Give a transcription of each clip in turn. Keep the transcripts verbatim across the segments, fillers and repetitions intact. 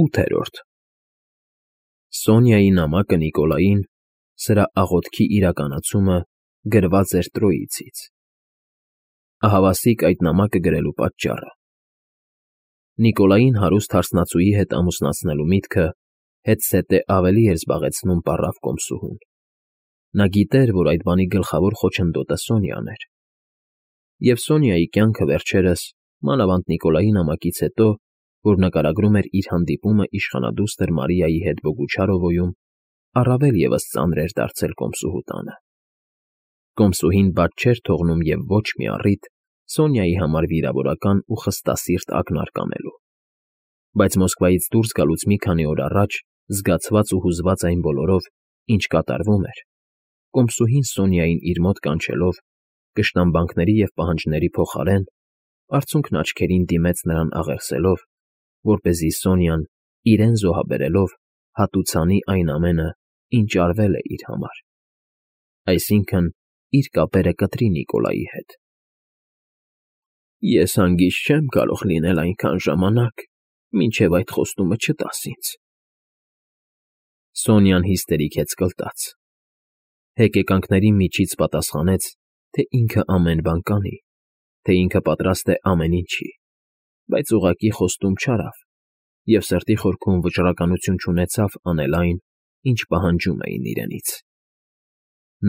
ՈՒԹԵՐՈՐԴ Սոնյայի նամակը Նիկոլային, սրա աղոթքի իրականացումը գրված էր Տրոյիցից. Ահավասիկ այդ նամակը գրելու պատճառը. Նիկոլային հարուստ հարսնացուի հետ ամուսնացնելու միտքը հետզհետե ավելի էր զբաղեցնում պառավ կոմսուհուն. նա գիտեր, որ այդ բանի գլխավոր խոչընդոտը Սոնյան էր, և Սոնյայի կյանքը վերջերս, մանավանդ Նիկոլայի նամակից հետո, որ նկարագրում էր իր հանդիպումը իշխանադուստր Մարիայի հետ Բոգուչարովոյում, առավել ևս ծանր էր դարձել կոմսուհու տանը. Կոմսուհին բաց չէր թողնում և ոչ մի առիթ Սոնյայի համար վիրավորական ու խստասիրտ ակնարկ անելու, բայց Մոսկվայից դուրս գալուց մի քանի օր առաջ, զգացված ու հուզված այն բոլորով, ինչ կատարվում էր, կոմսուհին Սոնյային իր մոտ կանչելով, կշտամբանքների և պահանջների փոխարեն, արցունքն աչքերին դիմեց նրան աղեղսելով, որպեսզի Սոնյան, իրեն զոհաբերելով, հատուցանի այն ամենը, ինչ արվել է իր համար, այսինքն՝ իր կապերը կտրի Նիկոլայի հետ։ Ես հանգիստ չեմ կարող լինել այնքան ժամանակ, մինչև այդ խոստումը չտաս ինձ, Սոնյան հիստերիկ հեծկլտաց, հեկեկանքների միջից պատասխանեց, թե ինքը ամեն բան կանի, թե ինքը պատրաստ է ամեն ինչի, բայց ուղղակի խոստում չարավ և սրտի խորքում վճռականություն չունեցավ անել այն, ինչ պահանջում էին իրենից.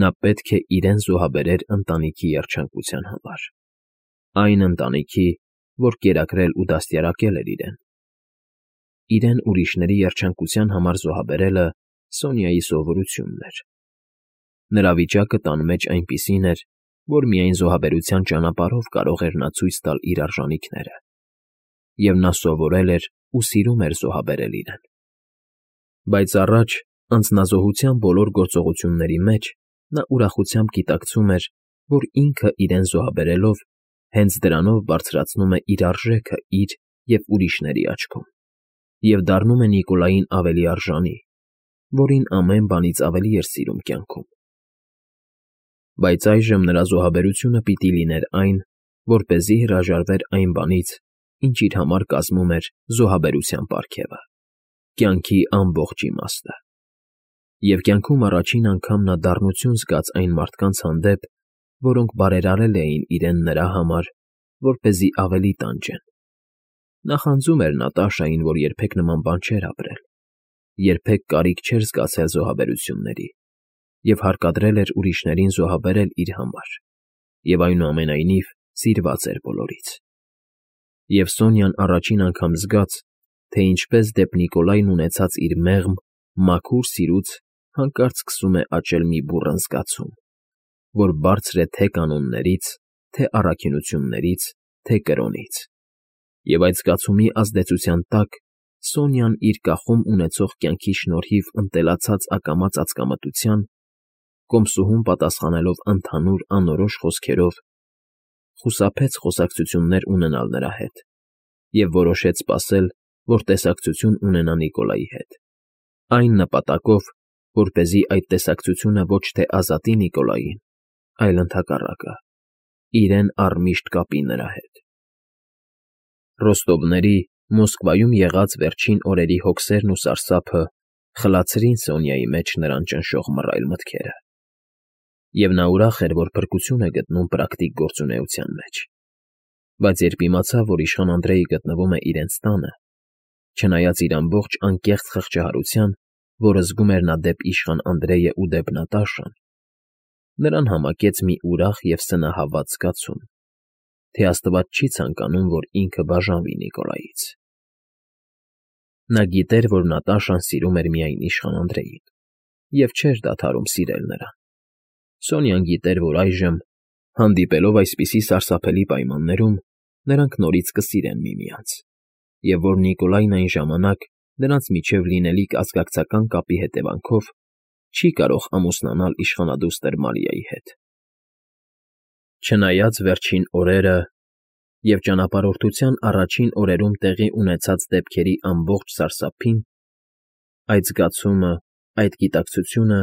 նա պետք է իրեն զոհաբերեր ընտանիքի երջանկության համար, այն ընտանիքի, որ կերակրել ու դաստիարակել էր իրեն։ Իրեն ուրիշների երջանկության համար զոհաբերելը Սոնյայի սովորությունն էր։ Նրա վիճակը տան մեջ այնպիսին էր, որ միայն զոհաբերության ճանապարհով կարող էր նա ցույց տալ իր արժանիքները, և նա սովորել էր ու սիրում էր զոհաբերել իրեն։ Բայց առաջ, անձնազոհության բոլոր գործողությունների մեջ, նա ուրախությամբ գիտակցում էր, որ ինքը իրեն զոհաբերելով, հենց դրանով բարձրացնում է իր արժեքը իր և ուրիշների աչքում և դառնում է Նիկոլային ավելի արժանի, որին ամեն բանից ավելի էր սիրում կյանքում։ Բայց այժմ նրա զոհաբերությունը պիտի լիներ այն, որպեսզի հրաժարվեր այն բանից, ինչ իր համար կազմում էր զոհաբերության պարգևը, կյանքի ամբողջ իմաստը։ Եվ կյանքում առաջին անգամ նա դառնություն զգաց այն մարդկանց հանդեպ, որոնք բարերարել էին իրեն նրա համար, որպեսզի ավելի տանջեն։ Նախանձում էր Նատաշային, որ երբեք նման բան չէր ապրել, երբեք կարիք չէր զգացել զոհաբերությունների և հարկադրել էր ուրիշներին զոհաբերել իր համար և այնուամենայնիվ սիրված էր բոլորից։ Եվ Սոնյան առաջին անգամ զգաց, թե ինչպես դեպ Նիկոլային ունեցած իր մեղմ, մաքուր սիրուց հանկարծ սկսում է աճել մի բուռն զգացում, որ բարձր է թե կանոններից, թե առաքինություններից, թե կրոնից, և այդ զգացումի ազդեցության տակ Սոնյան իր կախում ունեցող կյանքի շնորհիվ ընտելացած ակամա ծածկամտության, կոմսուհուն պատասխանելով ընդհանուր անորոշ խոսքերով, խուսափեց խոսակցություններ ունենալ նրա հետ և որոշեց սպասել, որ տեսակցություն ունենա Նիկոլայի հետ, այն նպատակով, որպեսզի այդ տեսակցությունը ոչ թե ազատի Նիկոլային, այլ ընդհակառակը, իրեն առմիշտ կապի նրա հետ։ Ռոստովների, Մոսկվայում եղած վերջին օրերի հոգսերն ու սարսափը խլացրին Սոնյայի մեջ նրան ճնշող մռայլ մտքերը, և նա ուրախ էր, որ փրկություն է գտնում պրակտիկ գործունեության մեջ, բայց երբ իմացավ, որ իշխան Անդրեյը գտնվում է իրենց տանը, չնայած իր ամբողջ անկեղծ խղճահարության, որը զգում էր նա դեպ իշխան Անդրեյը ու դեպ Նատաշան, նրան համակեց մի ուրախ և սնահավատ զգացում, թե աստված չի ցանկանում, որ ինքը բաժանվի Նիկոլայից։ Նա գիտեր, որ Նատաշան սիրում էր միայն իշխան Անդրեյին և չէր դադարում սիրել նրան։ Սոնյան գիտեր, որ այժմ, հանդիպելով այսպիսի սարսափելի պայմաններում, նրանք նորից կսիրեն միմյանց, և որ Նիկոլայն այն ժամանակ նրանց միջև լինելիք ազգակցական կապի հետևանքով չի կարող ամուսնանալ իշխանադուստր Մարիայի հետ։ Չնայած վերջին օրերը և ճանապարհորդության առաջին օրերում տեղի ունեցած դեպքերի ամբողջ սարսափին, այդ զգացումը, այդ գիտակցությունը,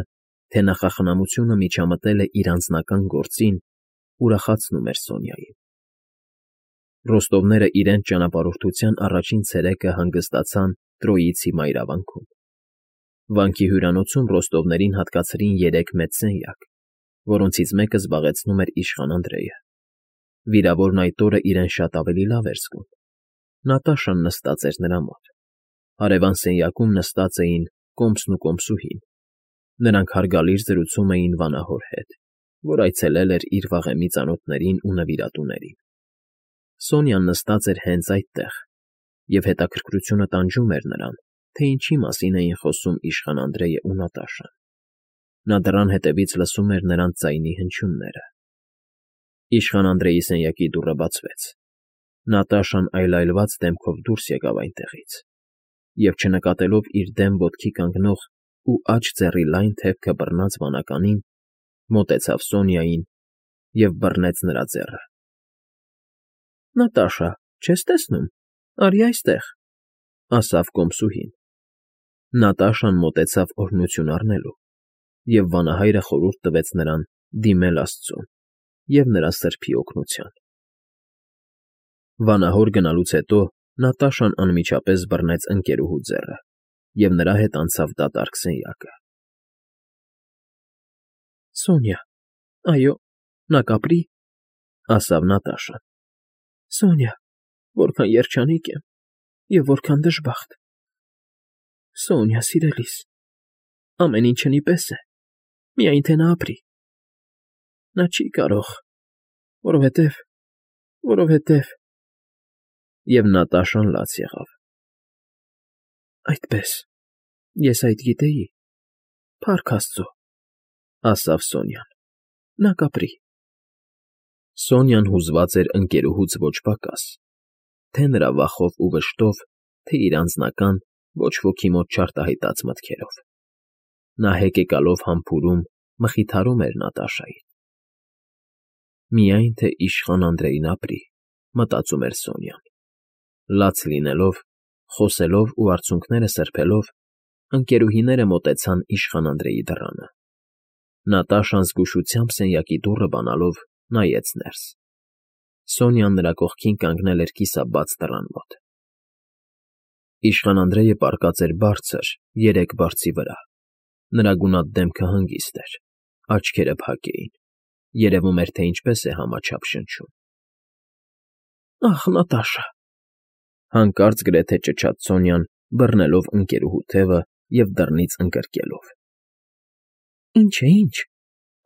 թե նախախնամությունը միջամտել է իր անձնական գործին, ուրախացնում էր Սոնյային։ Ռոստովները իրենց ճանապարհորդության առաջին ցերեկը հանգստացան Տրոյիցի մայրավանքում։ Վանքի հյուրանոցում Ռոստովներին հատկացրին երեք մեծ սենյակ, որոնցից մեկը զբաղեցնում էր իշխան Անդրեյը։ Վիրավորն այդ օրը իրեն շատ ավելի լավ էր զգում։ Նատաշան նստած էր նրա մոտ։ Հարևան սենյակում նստած էին Կոմսն ու Կոմսուհին։ Նրանք հարգալից զրուցում էին վանահոր հետ, որ այցելել էր իր վաղեմի ծանոթներին ու նվիրատուներին։ Սոնյան նստած էր հենց այդտեղ, և հետաքրքրությունը տանջում էր նրան, թե ինչի մասին էին խոսում իշխան Անդրեյը ու Նատաշան։ Նա դռան հետևից լսում էր նրանց ձայնի հնչյունները։ Իշխան Անդրեյի սենյակի դուռը բացվեց։ Նատաշան այլայլված դեմքով դուրս եկավ այնտեղից և, չնկատելով իր դեմ ոտքի կանգնող ու աջ ձեռի լայն թևքը բռնած վանականին, մոտեցավ Սոնյային և բռնեց նրա ձեռը։ ֊ Նատաշա, չես տեսնում, արի այստեղ, ֊ ասավ Կոմսուհին։ Նատաշան մոտեցավ օրհնություն առնելու, և վանահայրը խորհուրդ տվեց նրան դիմել աստծուն և նրա սրբի օգնության։ Վանահոր գնալուց հետո Նատաշան անմիջապես բռնեց ընկերուհու ձեռը և նրա հետ անցավ դատարկ սենյակը։ ֊ Սոնյա, այո, նա կապրի, ֊ ասավ Նատաշան։ ֊ Սոնյա, որքան երջանիկ եմ և որքան դժբախտ։ Սոնյա, սիրելիս, ամեն ինչ հնի պես է, միայն թե նա ապրի։ Նա չի կարող, որովհետև… որովհետև… Եվ Նատաշան լաց եղավ։ ֊ Այդպե՜ս, ես այդ գիտեի, փառք աստծո, ֊ ասավ Սոնյան, նա կապրի։ Սոնյան հուզված էր ընկերուհուց ոչ պակաս, թե՛ նրա վախով ու վշտով, թե՛ իր անձնական, ոչ ոքի մոտ չարտահայտած մտքերով։ Նա հեկեկալով համբուրում, մխիթարում էր Նատաշային։ Միայն թե իշխան Անդրեյն ապրի, մտածում էր Սոնյան։ Լաց լինելով, խոսելով ու արցունքները սրբելով, ընկերուհիները մոտեցան իշխան Անդրեյի դռանը։ Նատաշան զգուշությամբ սենյակի դուռը բանալով նայեց ներս։ Սոնյան նրա կողքին կանգնել էր կիսաբաց դռան մոտ։ Իշխան Անդրեյը պառկած էր բարձր, երեք բարձի վրա։ Նրա գունատ դեմքը հանգիստ էր, աչքերը փակ էին, երևում էր, թե ինչպես է համաչափ շնչում։ ֊ Ախ, Նատաշա, ֊ հանկարծ գրեթե ճչաց Սոնյան, բռնելով ընկերուհու թևը և դռնից ընկրկելով։ ֊ Ինչ է, ինչ, ֊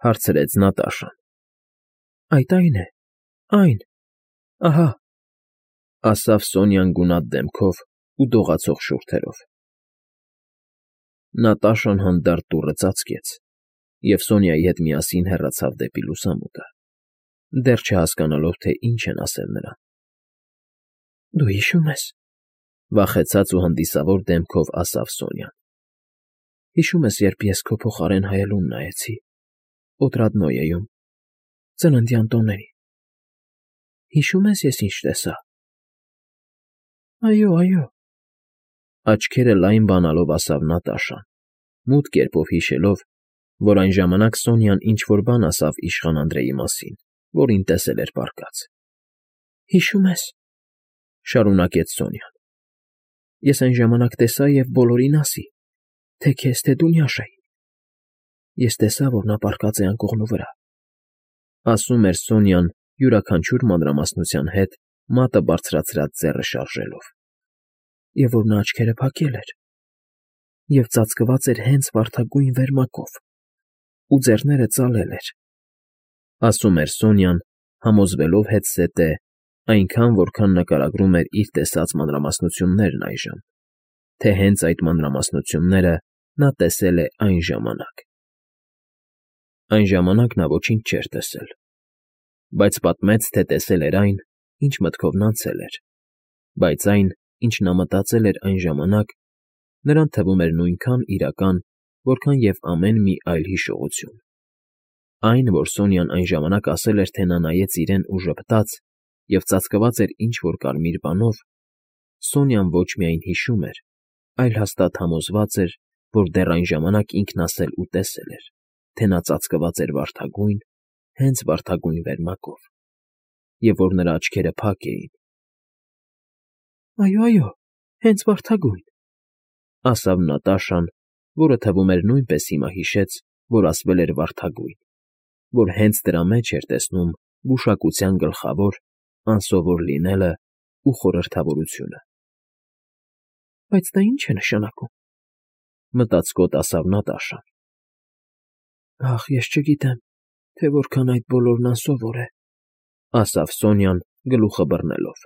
հարցրեց Նատաշան։ ֊ Այդ այն է, այն… ահա, ֊ ասավ Սոնյան գունատ դեմքով ու դողացող շուրթերով։ Նատաշան հանդարտ դուռը ծածկեց և Սոնյայի հետ միասին հեռացավ դեպի լուսամուտը, դեռ չհասկանալով, թե ինչ են ասել նրան։ ֊ Դու հիշո՞ւմ ես, ֊ վախեցած ու հանդիսավոր դեմքով ասավ Սոնյան։ ֊ Հիշո՞ւմ ես, երբ ես քո փոխարեն հայելուն նայեցի Օտրադնոյեում, ծննդյան տոներին… Հիշո՞ւմ ես, ես ինչ տեսա… ֊ Այո, այո, ֊ աչքերը լայն բանալով ասավ Նատաշան, մութ կերպով հիշելով, որ այն ժամանակ Սոնյան ինչ֊որ բան ասավ իշխան Անդրեյի մասին, որին տեսել էր պառկած։ ֊ Հիշո՞ւմ ես, ֊ շարունակեց Սոնյան։ ֊ Ես այն ժամանակ տեսա և բոլորին ասի, թե քեզ, թե դու Նյաշային… Ես տեսա, որ նա պառկած է անկողնու վրա, ֊ ասում էր Սոնյան յուրաքանչյուր մանրամասնության հետ մատը բարձրացրած ձեռը շարժելով, ֊ և որ նա աչքերը փակել էր և ծածկված էր հենց վարդագույն վերմակով ու ձեռները ծալել էր, ֊ ասում էր Սոնյան, համոզվելով հետզհետե, այնքան, որքան նկարագրում էր իր տեսած մանրամասնություններն այժմ, թե հենց այդ մանրամասնությունները նա տեսել է այն ժամանակ… Այն ժամանակ նա ոչինչ չէր տեսել, բայց պատմեց, թե տեսել էր այն, ինչ մտքով անցել էր, բայց այն, ինչ նա մտածել էր այն ժամանակ, նրան թվում էր նույնքան իրական, որքան և ամեն մի այլ հիշողություն։ Այն, որ Սոնյան այն ժամանակ ասել էր, թե նա նայեց իրեն ու ժպտաց և ծածկված էր ինչ֊որ կարմիր բանով, Սոնյան ոչ միայն հիշում էր, այլ հաստատ համոզված էր, որ դեռ այն ժամանակ ինքն ասել ու տեսել էր, թե նա ծածկված էր վարդագույն, հենց վարդագույն վերմակով, և որ նրա աչքերը փակ էին։ ֊ Այո, այո, հենց վարդագույն, ասավ Նատաշան, որը թվում էր նույնպես հիմա հիշեց, որ ասվել էր վարդագույն, որ հենց դրա մեջ էր տեսնում գուշակության գլխավոր, անսովոր լինելն ու խորհրդավորությունը։ «Բայց դա ի՞նչ է նշանակում,֊ մտածկոտ ասավ Նատաշան։ «Ախ, ես չգիտեմ, թե որքան այդ բոլորն անսովոր է,֊ ասավ Սոնյան գլուխը բռնելով։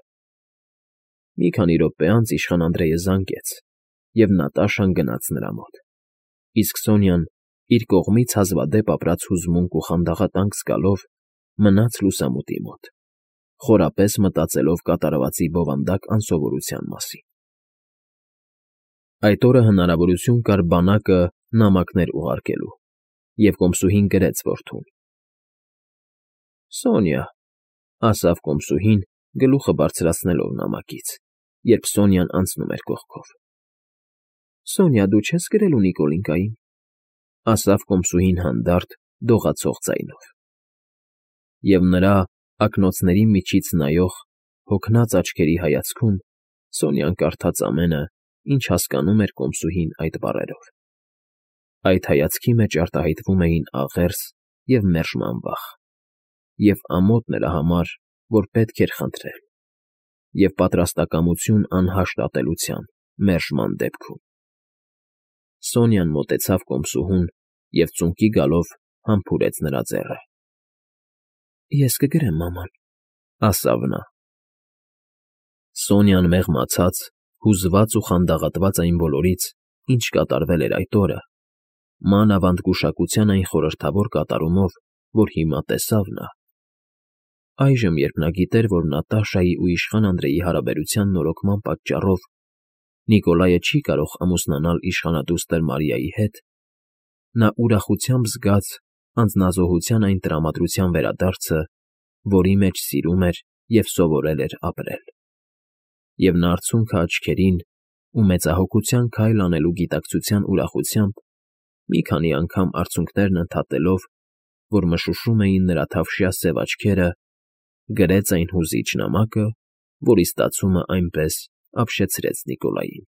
Մի քանի րոպե անց իշխան Անդրեյը զանգեց, և Նատաշան գնաց նրա մոտ, իսկ Սոնյան, իր կողմից հազվադեպ ապրած հուզմունք ու խանդաղատանք զգալով, մնաց լուսամուտի մոտ, խորապես մտածելով կատարվածի բովանդակ անսովորության մասին։ Այդ օրը հնարավորություն կար բանակը նամակներ ուղարկելու, և կոմսուհին գրեց որդուն։ «Սոնյա,֊ ասավ կոմսուհին, գլուխը բարձրացնելով նամակից, երբ Սոնյան անցնում էր կողքով։ Սոնյա, դու չե՞ս գրելու Նիկոլինկային,֊ ասավ կոմսուհին հանդարտ, դողացող ձայնով։ Եվ նրա ակնոցների միջից նայող, հոգնած աչքերի հայացքում Սոնյան կարդաց ամենը, ինչ հասկանում էր կոմսուհին այդ բառերով։ Այդ հայացքի մեջ արտահայտվում էին աղերս և մերժման վախ, և ամոթ նրա համար, որ պետք էր խնդրել, և պատրաստակամություն անհաշտ ատելության մերժման դեպքում։ Սոնյան մոտեցավ կոմսուհուն և ծունկի գալով համբուրեց նրա ձեռքը։ «Ես կգրեմ մաման,֊ ասավ նա։ Սոնյան մեղմացած, հուզված ու խանդաղատված այն բոլորից, ինչ կատարվել էր այդ օրը, մանավանդ գուշակության այն խորհրդավոր կատարումով, որ հիմա տեսավ նա, այժմ, երբ նա գիտեր, որ Նատաշայի ու իշխան Անդրեյի հարաբերության նորոգման պատճառով Նիկոլայը չի կարող ամուսնանալ իշխանադուստր Մարիայի հետ, նա ուրախությամբ զգաց անձնազոհության այն տրամադրության վերադարձը, որի մեջ սիրում էր և սովորել էր ապրել։ Եվ նա արցունքը աչքերին ու մեծահոգության քայլ անելու գիտակցության ուրախությամբ, մի քանի անգամ արցունքներն ընդհատելով, որ մշուշում էին նրա թավշյա սև աչքերը, գրեց այն հուզիչ նամակը, որի ստացումը այնպես ապշեցրեց Նիկոլային։